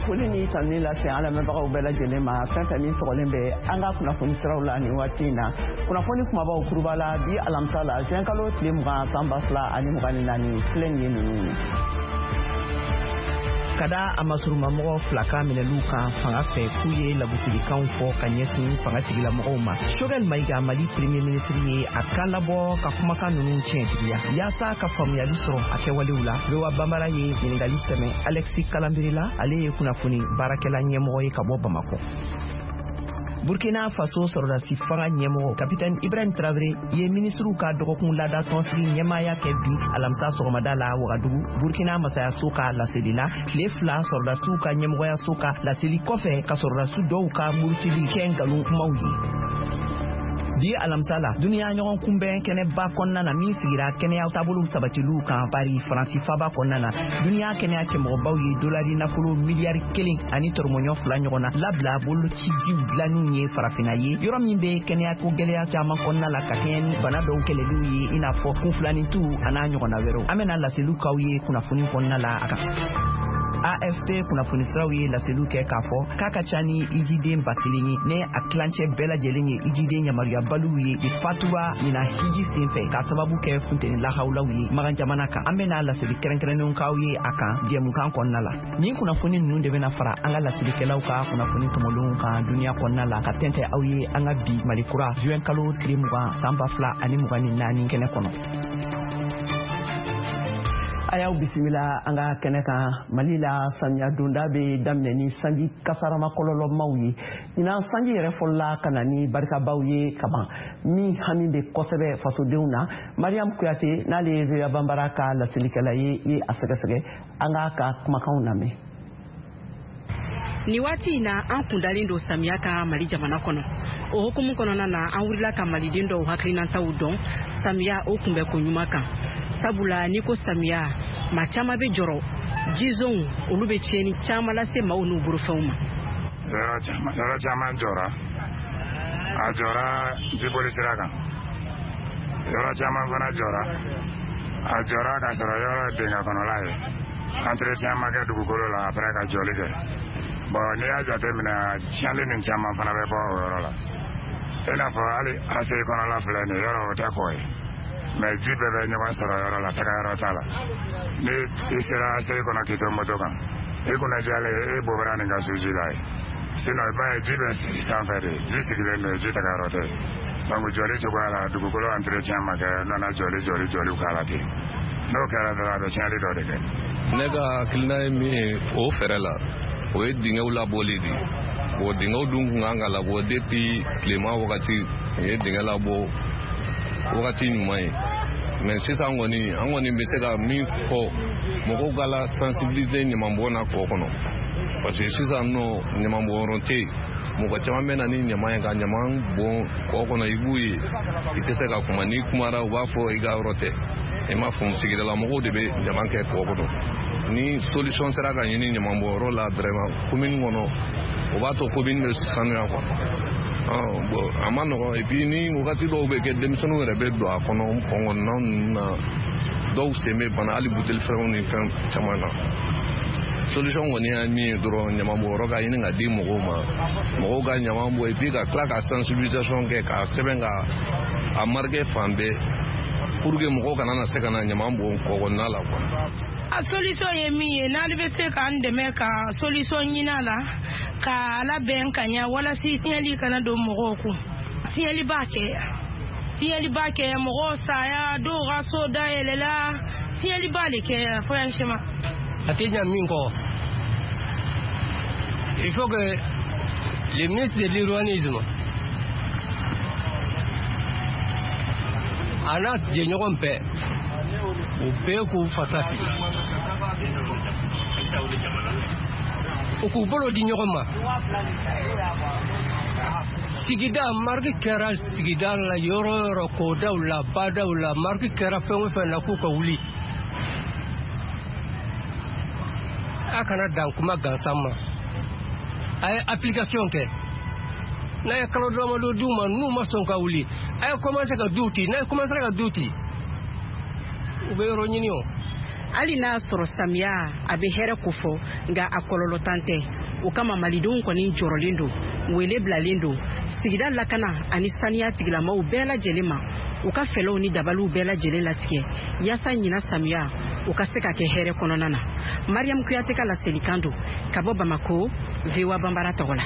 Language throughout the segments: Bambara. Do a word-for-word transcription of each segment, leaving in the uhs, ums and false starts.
Foli ni tanuni lase an lamɛnbagaw bɛɛ lajɛlen ma, fɛn fɛn min sɔgɔlen bɛ an ka kunnafoni siraw la nin waati in na. Kunnafoni kumabaw kuruba la bi alamisa la, juin kalo tile mugan, san ba fila ani mugan ni naani, filɛ nin ye ninnu ye. Ka da a masurumamɔgɔ fila ka minɛliw kan fanga fɛ k'u ye lagosilikanw fɔ ka ɲɛsin fanga tigilamɔgɔw ma, Choguel Maïga, Mali premier ministre, ye a kan labɔ ka kumakan ninnu tiɲɛtigiya. Yaasa ka faamuyali sɔrɔ a kɛwalew la, V O A Banbara ye ɲininkali sɛmɛ Alexis Kalambry la, ale ye kunnafoni baarakɛla ɲɛmɔgɔ ye ka bɔ Bamakɔ. Burkina Faso sɔrɔdasi fanga ɲɛmɔgɔ, Kapitɛni Ibrahim Traoré, ye minisiriw ka dɔgɔkun laada tɔnsigi ɲɛmaaya kɛ bi alamisa sɔgɔmada la Wagadugu, Burkina masayaso ka laseli la, tile fila sɔrɔdasiw ka ɲɛmɔgɔyaso ka laseli kɔfɛ ka sɔrɔdasi dɔw ka murutili kɛ nkalon kumaw ye. Bi alamisa la, duniya ɲɔgɔn kunbɛn kɛnɛba kɔnɔna na min sigira kɛnɛya taabolow sabatiliw kan Paris, Faransi faba kɔnɔna na, duniya kɛnɛya cɛmɔgɔbaw ye dolari nafolo miliyari kelen ani tɔrɔmɔɲɔ fila ɲɔgɔn na labila bolocijiw dilanniw ye Farafina ye, yɔrɔ min bɛ kɛnɛya ko gɛlɛya caman kɔnɔna la, ka kɛɲɛ ni bana dɔw kɛlɛliw ye, i n'a fɔ kunfilanintu an'a ɲɔgɔnna wɛrɛw. An bɛna laseliw k'aw ye kunnafoni kɔnɔna la a kan. A F P kunnafoni siraw ye laseliw kɛ k'a fɔ k'a ka ca ni ijiden ba kelen ye, ne a tilancɛ bɛɛ lajɛlen ye ijiden yamaruyabaliw ye de fatura ɲina hiji sen fɛ k'a sababu kɛ funteni lahawulaw ye Magan jamana kan. An bɛna laseli kɛrɛnkɛrɛnnenw k'aw ye a kan jɛmukan kɔnɔna la. Nin kunnafoni ninnu de bɛna fara an ka laselikɛlaw ka kunnafoni tɔmɔlenw kan duniya kɔnɔna la ka tɛntɛ aw ye an ka bi Mali kura, juin kalo tile mugan, san ba fila ani mugan ni naani kɛnɛ kɔnɔ. A y'aw bisimila an ka kɛnɛ kan. Mali la, samiya donda bɛ daminɛ ni sanji kasarama kɔlɔlɔmaw ye. Ɲinan sanji yɛrɛ fɔlɔla ka na ni barikabaw ye kaban min hami bɛ kosɛbɛ fasodenw na. Mariam Kuyate, n'ale ye V O A Banbara ka laselikɛla ye, ye a sɛgɛsɛgɛ. An k'a ka kumakanw lamɛn. Nin waati in na, an kundalen don samiya ka Mali jamana kɔnɔ. O hukumu kɔnɔna na, an wulila ka maliden dɔw hakilinataw dɔn samiya o kunbɛko ɲuman kan, sabula n'i ko samiya, maa caman bɛ jɔrɔ jizonw, olu bɛ tiɲɛni caman lase maaw n'u bolofɛnw ma. Yɔrɔ caman jɔra, a jɔra jiboli sira kan. Yɔrɔ caman fana jɔra, a jɔra k'a sɔrɔ yɔrɔ ye dingɛ kɔnɔla ye, entretien ma kɛ dugukolo la après ka jɔli kɛ. Bon, n'i y'a jateminɛ, tiɲɛli nin caman fana bɛ bɔ o yɔrɔ la. I n'a fɔ hali A C I kɔnɔla filɛ nin ye, yɔrɔ o tɛ kɔ ye, mais ji bɛɛ bɛ ɲɔgɔn sɔrɔ yɔrɔ la, taga yɔrɔ t'a la. Ni i sera A C I kɔnɔ k'i to moto kan, i kunna jalen, e bɔra nin ka su ji la ye. Sinon i b'a ye ji bɛ sigi sanfɛ de, ji sigilen don, ji taga yɔrɔ tɛ. Donc jɔli cogoya la, dugukolo entretien ma kɛ, nana jɔli jɔli jɔliw k'a la ten. N'o kɛra dɔrɔn, a bɛ tiɲɛli dɔ de kɛ. Ne ka hakilina ye min ye o fɛɛrɛ la, o ye dingɛw labɔli de ye. Bon, dingɛw dun kun kan ka labɔ depuis tilema wagati, u ye dingɛ labɔ wagati ɲuman ye. Mais sisan kɔni, an kɔni bɛ se ka min fɔ, mɔgɔw ka la sensibiliser ɲamanbɔn na kɔ kɔnɔ, parce que sisan nɔ ɲamanbɔnyɔrɔ tɛ yen. Mɔgɔ caman bɛ na ni ɲaman ye ka ɲaman bɔn kɔ kɔnɔ. I b'u ye, i tɛ se ka kuma. N'i kumara, u b'a fɔ i ka yɔrɔ tɛ. I m'a faamu, sigidala mɔgɔw de bɛ ɲaman kɛ kɔ kɔnɔ. Ni solution sera ka ɲini ɲamanbɔnyɔrɔ la vraiment commune kɔnɔ, o b'a to commune bɛ sanuya quoi. Bon, a ma nɔgɔn. Et puis ni wagati dɔw bɛ kɛ, denmisɛnninw yɛrɛ bɛ don a kɔnɔ, kɔngɔnna ninnu na, dɔw sen bɛ bana hali buteli fɛnw ni fɛn caman na. Solution kɔni ye min ye dɔrɔn, ɲamanbɔnyɔrɔ ka ɲini ka di mɔgɔw ma, mɔgɔw ka ɲaman bɔ, et puis ka tila ka sensibilisation kɛ, k'a sɛbɛn ka a marquer fan bɛɛ, pour que mɔgɔw kana na se ka na ɲaman bɔn kɔkɔnɔna la quoi. A solution ye min ye, n'ale bɛ se k'an dɛmɛ ka solution ɲini a la k'a labɛn ka ɲɛ, walasa tiɲɛli kana don mɔgɔw kun. Tiɲɛli b'a kɛ, tiɲɛli b'a kɛ, mɔgɔw saya, dɔw ka so dayɛlɛla, tiɲɛli b'a de kɛ franchement. A tɛ ɲa min kɔ, il faut que le ministre de l'urbanisme a n'a jɛɲɔgɔn bɛɛ, u bɛɛ k'u fasa fili, u k'u bolo di ɲɔgɔn ma. Sigida marque kɛra sigida la, yɔrɔ o yɔrɔ, kɔdaw la, badaw la, marque kɛra fɛn o fɛn na, k'u ka wuli. A kana dan kuma gansan ma, a ye application kɛ. N'a ye kalo damadɔ d'u ma, n'u ma sɔn ka wuli, a ye commencé ka du ci. N'a ye commencé ka du ci, u bɛ yɔrɔ ɲini o. Hali n'a sɔrɔ samiya a bɛ hɛrɛ kofɔ, nka a kɔlɔlɔ tan tɛ. O kama malidenw kɔni jɔrɔlen don, wele bilalen don sigida lakana ani saniya tigilamaw bɛɛ lajɛlen ma, u ka fɛlɛw ni dabaliw bɛɛ lajɛlen latigɛ yaasa ɲina samiya u ka se ka kɛ hɛrɛ kɔnɔna na. Mariam Kuyate ka laselikan don ka bɔ Bamako, V O A Banbara tɔgɔ la.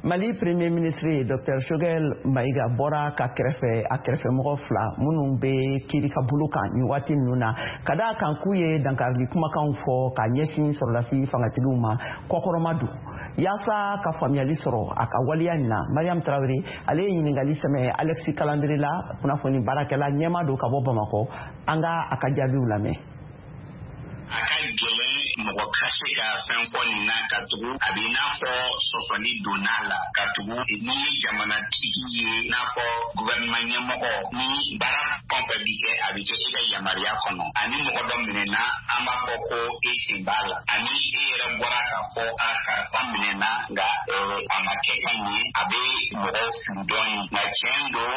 Mali Premier ministre Docteur Choguel Maïga bɔra ka kɛrɛfɛ a kɛrɛfɛmɔgɔ fila minnu bɛ kiiri ka bolo kan nin waati ninnu na, ka d'a kan k'u ye dankarili kumakanw fɔ ka ɲɛsin sɔrɔdasi fangatigiw ma kɔkɔrɔma don. Yaasa ka faamuyali sɔrɔ a ka waleya nin na, Mariam Traoré ale ye ɲininkali sɛmɛ Alexis Kalandere la, kunnafoni baarakɛla ɲɛma don ka bɔ Bamakɔ. An ka a ka jaabiw lamɛn. A ka gɛlɛn mɔgɔ ka se ka fɛn fɔ nin na, ka tugu a bɛ i n'a fɔ sɔsɔli donna a la, ka tugu n'i ye jamanatigi ye, i n'a fɔ gouvernement ɲɛmɔgɔ, ni baara fɛn fɛn bi kɛ a bɛ kɛ e ka yamaruya kɔnɔ. Ani mɔgɔ dɔ minɛna, an b'a fɔ ko e sen b'a la, ani e yɛrɛ bɔra k'a fɔ a karisa minɛna nka a ma kɛ ka ɲɛ, a bɛ mɔgɔw fili dɔɔnin. Nka tiɲɛ don,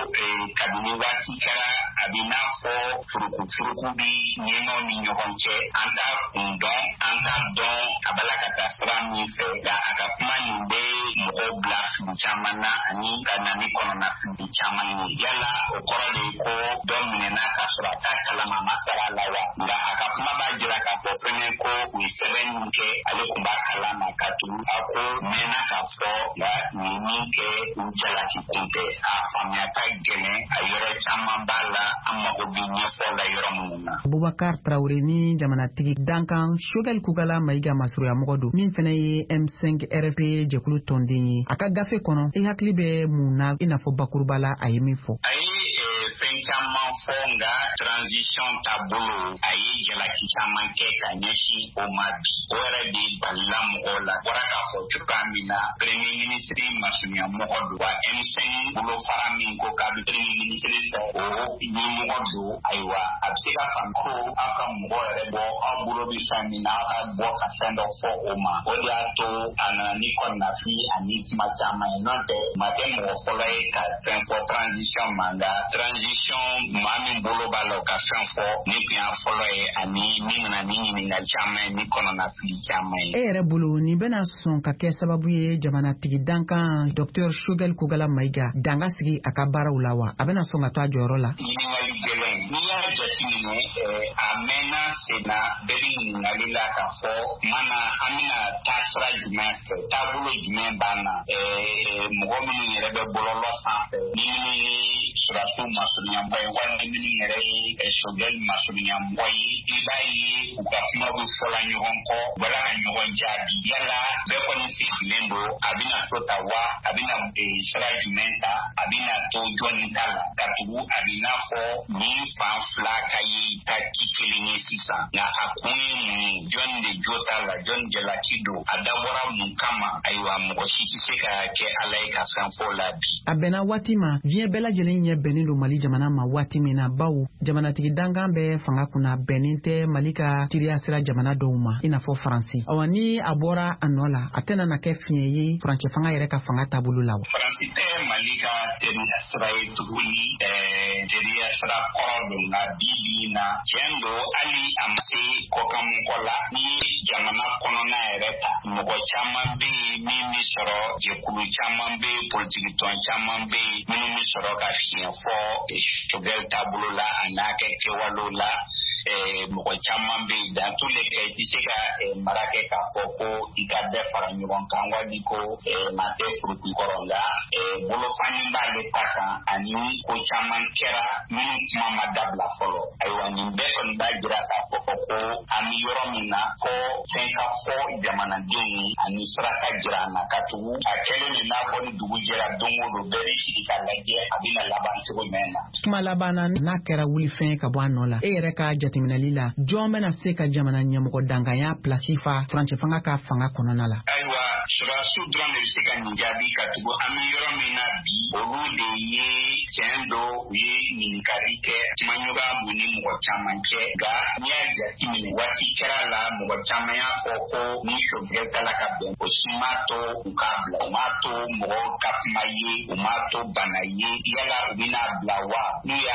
kabini waati kɛra a bɛ i n'a fɔ furukufuruku bi ɲɛmaaw ni ɲɔgɔn cɛ, an t'a kun dɔn, an t'a dɔn a b'a la ka taa sira min fɛ. Nka a ka kuma nin bɛ mɔgɔw bila fili caman na ani ka na ni kɔnɔna fili caman ye. Yala o kɔrɔ de ye ko dɔ minɛna k'a sɔrɔ a t'a kalama, a ma sara a la wa? Nka a ka kuma b'a jira k'a fɔ fɛnɛ ko u ye sɛbɛn min kɛ ale tun b'a kalama, ka tugu a ko mɛnna k'a fɔ nka nin min kɛ u jalaki kun tɛ. A faamuya ka gɛlɛn, a yɔrɔ caman b'a la, an mago bɛ ɲɛfɔ la yɔrɔ minnu na. Boubacar Traoré ni jamanatigi dankan Choguel Kokalla Maïga masurunyamɔgɔ don, min fana ye M cinq R F P jɛkulu tɔnden ye. A ka gafe kɔnɔ, i hakili bɛ mun na i n'a fɔ bakuruba la a ye min fɔ? A ye fɛn caman fɔ, nka transition taabolo a ye jalaki caman kɛ ka ɲɛsin o ma bi. O yɛrɛ de balila mɔgɔw la. Bɔra k'a fɔ cogoya min na, premier ministre masurunyamɔgɔ don, wa M cinq bolofara min ko k'a bɛ premier ministre fɛ, o ɲɛmɔgɔ don. Ayiwa, a bɛ se ka faamu ko aw ka mɔgɔ yɛrɛ bɔ aw bolo bɛ fɛn min na, aw ka bɔ ka fɛn dɔ fɔ o ma. O de y'a to a nana ni kɔnɔnafili ani kuma caman ye. N'o tɛ, maa tɛ mɔgɔ fɔlɔ ye ka fɛn fɔ transition ma, nka transition maa min bolo b'a la o ka fɛn fɔ, ni tun y'a fɔlɔ ye ani min nana ni ɲininkali caman ye ni kɔnɔnafili caman ye. E yɛrɛ bolo, nin bɛna sɔn ka kɛ sababu ye jamanatigi dankan Docteur Choguel Kokalla Maïga danga sigi a ka baaraw la wa? A bɛna sɔn ka to a jɔyɔrɔ la? Ɲininkali gɛlɛn. N'i y'a jateminɛ, a mɛnna sen na, bɛɛ bɛ ɲininkali la k'a fɔ tuma na an bɛna taa sira jumɛn fɛ, taabolo jumɛn b'an na, mɔgɔ minnu yɛrɛ bɛ bɔlɔlɔ sanfɛ, ni minnu ye sɔrɔdasiw masurunyamɔgɔ ye walima minnu yɛrɛ ye Choguel masurunyamɔgɔ ye, i b'a ye u ka kuma bɛ fɔla ɲɔgɔn kɔ, u b'a la ka ɲɔgɔn jaabi. Yala bɛɛ kɔni sigilen don, a bɛna to ta wa, a bɛna sira jumɛn ta, a bɛna to jɔnni ta la, ka tugu a bɛ n'a fɔ nin fan fila ka ye ta ci kelen ye sisan. Nka a kun ye mun ye? Jɔnni de jo t'a la, jɔnni jalaki don, a dabɔra mun kama? Ayiwa, mɔgɔ si tɛ se ka kɛ Ala ye ka fɛn fɔ la bi. A bɛnna waati ma, diɲɛ bɛɛ lajɛlen ɲɛ bɛnnen don Mali jamana ma waati min na, bawo jamanatigi dankan bɛ fanga kunna bɛnnen tɛ Mali ka teriya sira jamana dɔw ma, i n'a fɔ Faransi. Awa, ni a bɔra a nɔ la, a tɛna na kɛ fiɲɛ ye furancɛ fanga yɛrɛ ka fanga taabolo la wa? Faransi tɛ Mali ka teriya sira ye tuguni, teriya sira kɔrɔ don, nka bi bi in na tiɲɛ don, hali a ma se kɔkanmɔgɔ la, ni jamana kɔnɔna yɛrɛ ta, mɔgɔ caman bɛ yen min bɛ sɔrɔ, jɛkulu caman bɛ yen, politikitɔn caman bɛ yen minnu bɛ sɔrɔ ka fiɲɛ fɔ Choguel taabolo la a n'a kɛ kɛwalew la. Mɔgɔ caman bɛ yen, dans tous les cas i tɛ se ka mara kɛ k'a fɔ ko i ka bɛɛ fara ɲɔgɔn kan wali ko maa tɛ furuku kɔrɔ, nka bolofani b'ale ta kan ani ko caman kɛra minnu kuma ma dabila fɔlɔ. Ayiwa, nin bɛɛ kɔni b'a jira k'a fɔ ko an bɛ yɔrɔ min na, ko fɛn ka fɔ jamanadenw ye ani sira ka jira an na, ka tugu a kɛlen de n'a fɔ ni dugu jɛra don o don bɛɛ bɛ sigi k'a lajɛ a bɛna laban cogo jumɛn na. Kuma laban na, n'a kɛra wulifɛn ye ka bɔ a nɔ la, e yɛrɛ ka jateminɛli la, jɔn bɛna se ka jamana ɲɛmɔgɔ dankanya pilasi fa furancɛ fanga ka fanga kɔnɔna la? Ayiwa, sɔrɔdasiw dɔrɔn de bɛ se ka nin jaabi, ka tugu an bɛ yɔrɔ min na bi, olu de ye tiɲɛ don, u ye ɲininkali kɛ, kumaɲɔgɔnya b'u ni mɔgɔ caman cɛ. Nka n'i y'a jateminɛ, waati kɛra la mɔgɔ caman y'a fɔ ko ni Choguel ta la ka bɛn, o si m'a to u k'a bila, u m'a to mɔgɔw ka kuma ye, u m'a to bana ye. Yala u bɛna bila wa? N'u y'a